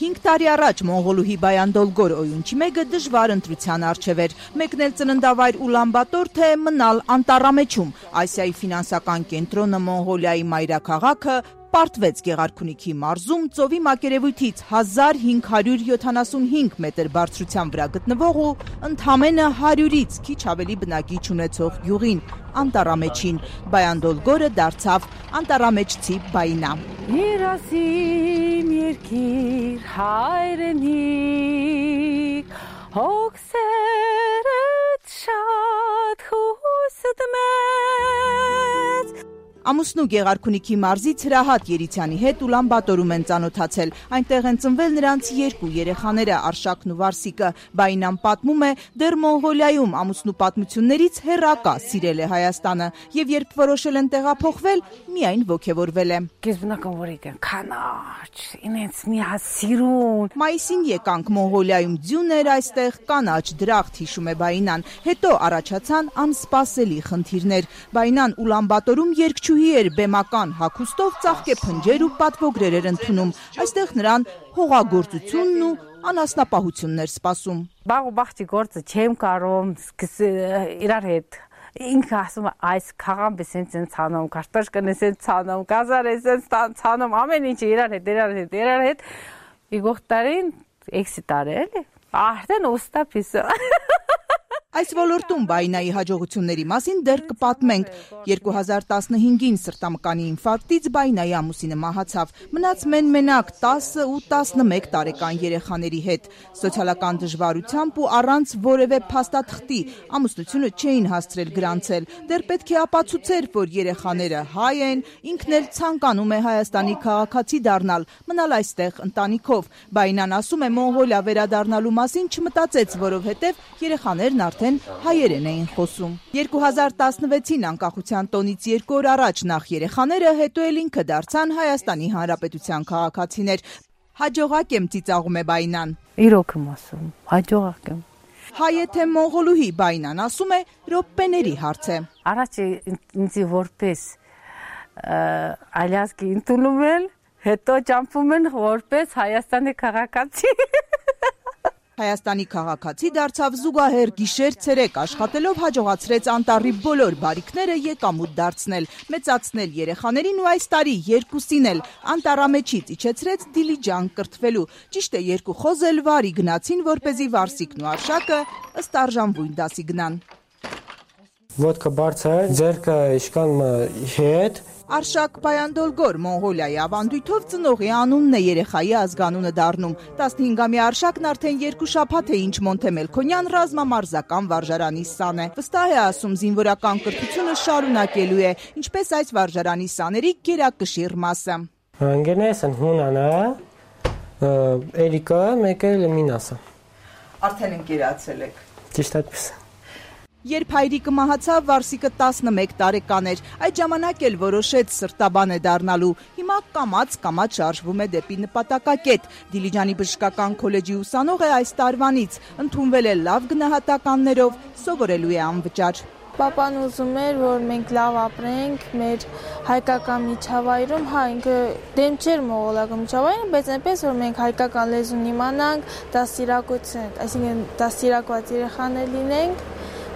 5 տարի առաջ Մոնղոլուհի Բայանդոլգոր Օյունչի մեգը դժվար ընտրության առջև էր, մեկնել ծննդավայր Ուլանբատոր, թե մնալ Անտառամեջում, Ասիայի ֆինանսական կենտրոնը Մոնղոլիայի մայրաքաղաքը, պարտվեց Գեղարքունիքի մարզում ծովի մակերևույթից 1575 մետր բարձրության վրա գտնվող ու ընդամենը 100-ից քիչ ավելի բնակիչ ունեցող գյուղին, Անտառամեջին, Բայանդոլգորը դարձավ անտառամեջցի Բայնա։ Երազիմ երկիր հայրենիք, հոգսերդ շատ հուստ մեծ։ Ամուսնու Գեղարքունիքի մարզից Հրահատ Երիցյանի հետ Ուլանբատորում են ծանոթացել, այնտեղ են ծնվել նրանց 2 երեխաները Արշակն ու Վարսիկը, Բայնան պատմում է, դեռ Մոնղոլիայում ամուսնու պատմություններից հեռակա սիրել է Հայաստանը եւ երբ որոշել են տեղափոխվել, միայն ոգևորվել է։ Գեզբնական որ եկան, կանաչ, ինձ միասիրուն։ Մայիսին եկանք Մոնղոլիայում ձյուն էր այստեղ, կանաչ դրախտ հիշում է Բայնան, հետո առաջացան անսպասելի խնդիրներ, Բայնան Ուլանբատորում երկչուհի էր բեմական հագուստով ծաղկե փնջեր ու պատվոգրեր էր ընդունում, այստեղ նրան հողագործությունն ու անասնապահությունն էր սպասում։ Բաղ ու բաղջի գործը չեմ կարում իրար հետ ինքը ասում է այս քաղան բեսեն ցանում, կարտոշկան էսեն ցանում, գազար էսեն ցանում, ամեն ինչ իրար հետ։ Իգող տարին 6 տարի էլի, արդեն ուստապիսը։ Այս ոլորտում Բայնայի հաջողությունների մասին դեռ կպատմենք։ 2015-ին սրտամկանի ինֆարկտից Բայնայի ամուսինը մահացավ, մնաց մենակ 10 ու 11 տարեկան երեխաների հետ։ Սոցիալական դժվարությամբ ու առանց որևէ փաստաթղթի ամուսնությունը չէին հասցրել գրանցել։ Դեռ պետք է ապացուցեր, որ երեխաները հայ են, ինքն էլ ցանկանում է Հայաստանի քաղաքացի դառնալ, մնալ այստեղ ընտանիքով։ Բայնան ասում է Մոնղոլիա վերադառնալու մասին չմտածեց, որովհետև երեխաներն արդեն հայերեն էին խոսում։ 2016-ին անկախության տոնից 2 օր առաջ նախ երեխաները, հետո էլ ինքը դարձան Հայաստանի Հանրապետության քաղաքացիներ։ Հաջողակ եմ ծիծաղում է Բայնան։ Իրոք եմ ասում, հաջողակ եմ։ Հայ է թե մոնղոլուհի Բայնան ասում է րոպեների հարց է։ Առաջ ինձ որպես ալյասկի ընդունում են, հետո ճամփում են որպես Հայաստանի քաղաքացի։ Հայաստանի քաղաքացի դարձավ զուգահեռ գիշեր-ցերեկ աշխատելով հաջողացրեց անտառի բոլոր բարիքները եկամուտ դարձնել, մեծացնել երեխաներին ու այս տարի 2-ին էլ Անտառամեջից իջեցրեց Դիլիջան կրթվելու։ Ճիշտ է 2 խոզել վարի գնացին, որպեսզի Վարսիկն ու Արշակը ըստ արժանվույն դասի գնան։ Ոտքը բարձր, ձեռքը իշկան հետ։ Արշակ Բայանդոլգոր Մոնղոլիայի ավանդույթով ծնողի անունն է երեխայի ազգանունը դառնում։ 15-ամյա Արշակն արդեն 2 շաբաթ է ինչ Մոնտեմելքոնյան ռազմամարզական վարժարանի սան է։ Վստահ է ասում զինվորական կրթությունը շարունակելու է, ինչպես այս վարժարանի սաների գերակշիռ մասը։ Անգենեսն հունանա, Էրիկա, մեկ էլ Մինասը։ Արդեն ընկերացել եք։ Ճիշտ այդպես։ Երբ հայրիկը մահացավ, Վարսիկը 11 տարեկան էր, այդ ժամանակ էլ որոշեց սրտաբան է դառնալու, հիմա կամաց շարժվում է դեպի նպատակակետ, Դիլիջանի բժշկական քոլեջի ուսանող է այս տարվանից, ընդունվել է լավ գնահատականներով, սովորելու է անվճար։ Պապան ուզում էր, որ մենք լավ ապրենք մեր հայկական միջավայրում, ինքը դեմ չէր մոնղոլական միջավայրին, բայց այնպես որ մենք հայկական լեզուն իմանանք, դաստիարակություն, այսինքն դաստիարակված երեխաներ լինենք,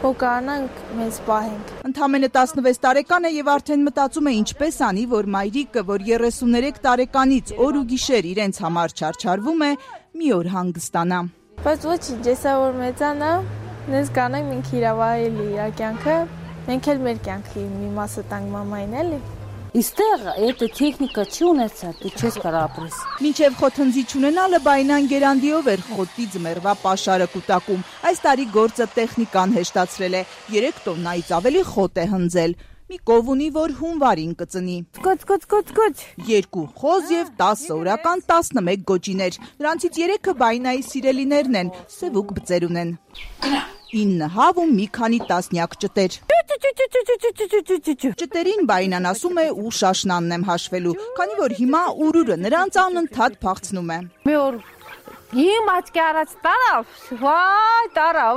ու կարողանանք մեզ պահենք։ Ընդամենը 16 տարեկան է եւ արդեն մտածում է ինչպես անի, որ մայրիկը, որ 33 տարեկանից օր ու գիշեր իրենց համար չարչարվում է, մի օր հանգստանա։ Բայց ոչինչ, եսա որ մեծանա, նենց կանենք մենք իրավահելի իր կյանքը, մենք էլ մեր կյանքի մի մասը տանք մամային էլի։ Իստեղ էտը տեխնիկա չի ունեցա, դու չես կարող ապրես։ Մինչև խոթնձի չունենալը Բայնան գերանդիով էր խոտի ձմեռվա պաշարը կուտակում։ Այս տարի գործը տեխնիկան հեշտացրել է, 3 տոննայից ավելի խոտ է հնձել։ Մի կով ունի, որ հունվարին կծնի։ Գոչ։ 2 խոզ եւ 10 օրական 11 գոճիներ։ Նրանցից 3-ը Բայնայի սիրելիներն են, սևուկ բծեր ունեն։ 9 հավ ու մի քանի տասնյակ ճտեր։ Ճտերին Բայնան ասում է ու շաշնանն եմ հաշվելու, քանի որ հիմա ուրուրը նրանց անընդհատ փախցնում է։ Մի օր իմ աչքի առաջ տարավ, վայ տարավ։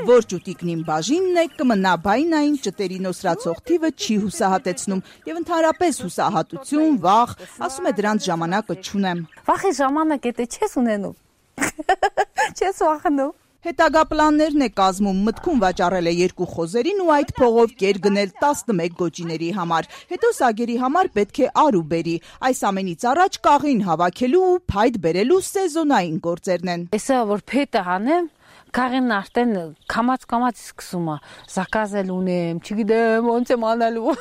Որ ճուտիկնին բաժինն է, կմնա բայնային ճտերի նոսրացող թիվը չի հուսահատեցնում եւ ընդհանրապես հուսահատություն, վախ, ասում է դրանց ժամանակը չունեմ։ Վախի ժամանակ է չես ունենում։ Չես վախենում։ Հետագա պլաններն է կազմում, մտքում վաճառել է 2 խոզերին ու այդ փողով կեր գնել 11 գոճիների համար։ Հետո սագերի համար պետք է առու բերի։ Այս ամենից առաջ կաղին հավաքելու ու փայտ բերելու սեզոնային գործերն են։ Էսա որ փետը հանեմ, կաղին արդեն կամած սկսում է զակազել ունեմ, չգիտեմ ոնց եմ անելու։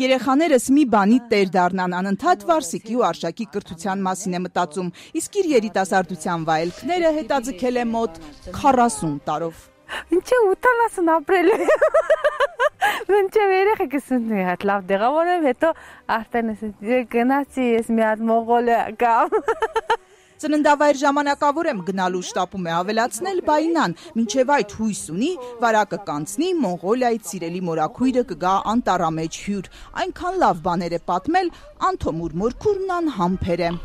Երեխաներս մի բանի տեր դառնան, անընդհատ Վարսիկի ու Արշակի կրթության մասին է մտածում, իսկ իր երիտասարդության վայելքները հետաձգել է մոտ 40 տարով։ Ինչ է 80 ապրել։ Ինչ է երեխեքս ունի հատ լավ դեղավորեմ, հետո արդեն գնացի ես մի հատ Մոնղոլիա կամ Ծննդավայր ժամանակավոր եմ գնալու շտապում է ավելացնել բայնան, մինչև այդ հույս ունի, վարակը կանցնի, Մոնղոլիայից սիրելի մորաքույրը կգա անտառամեջ հյուր, այնքան լավ բաներ է պատմել, Անթոմուր մորքուրն անհամբեր է։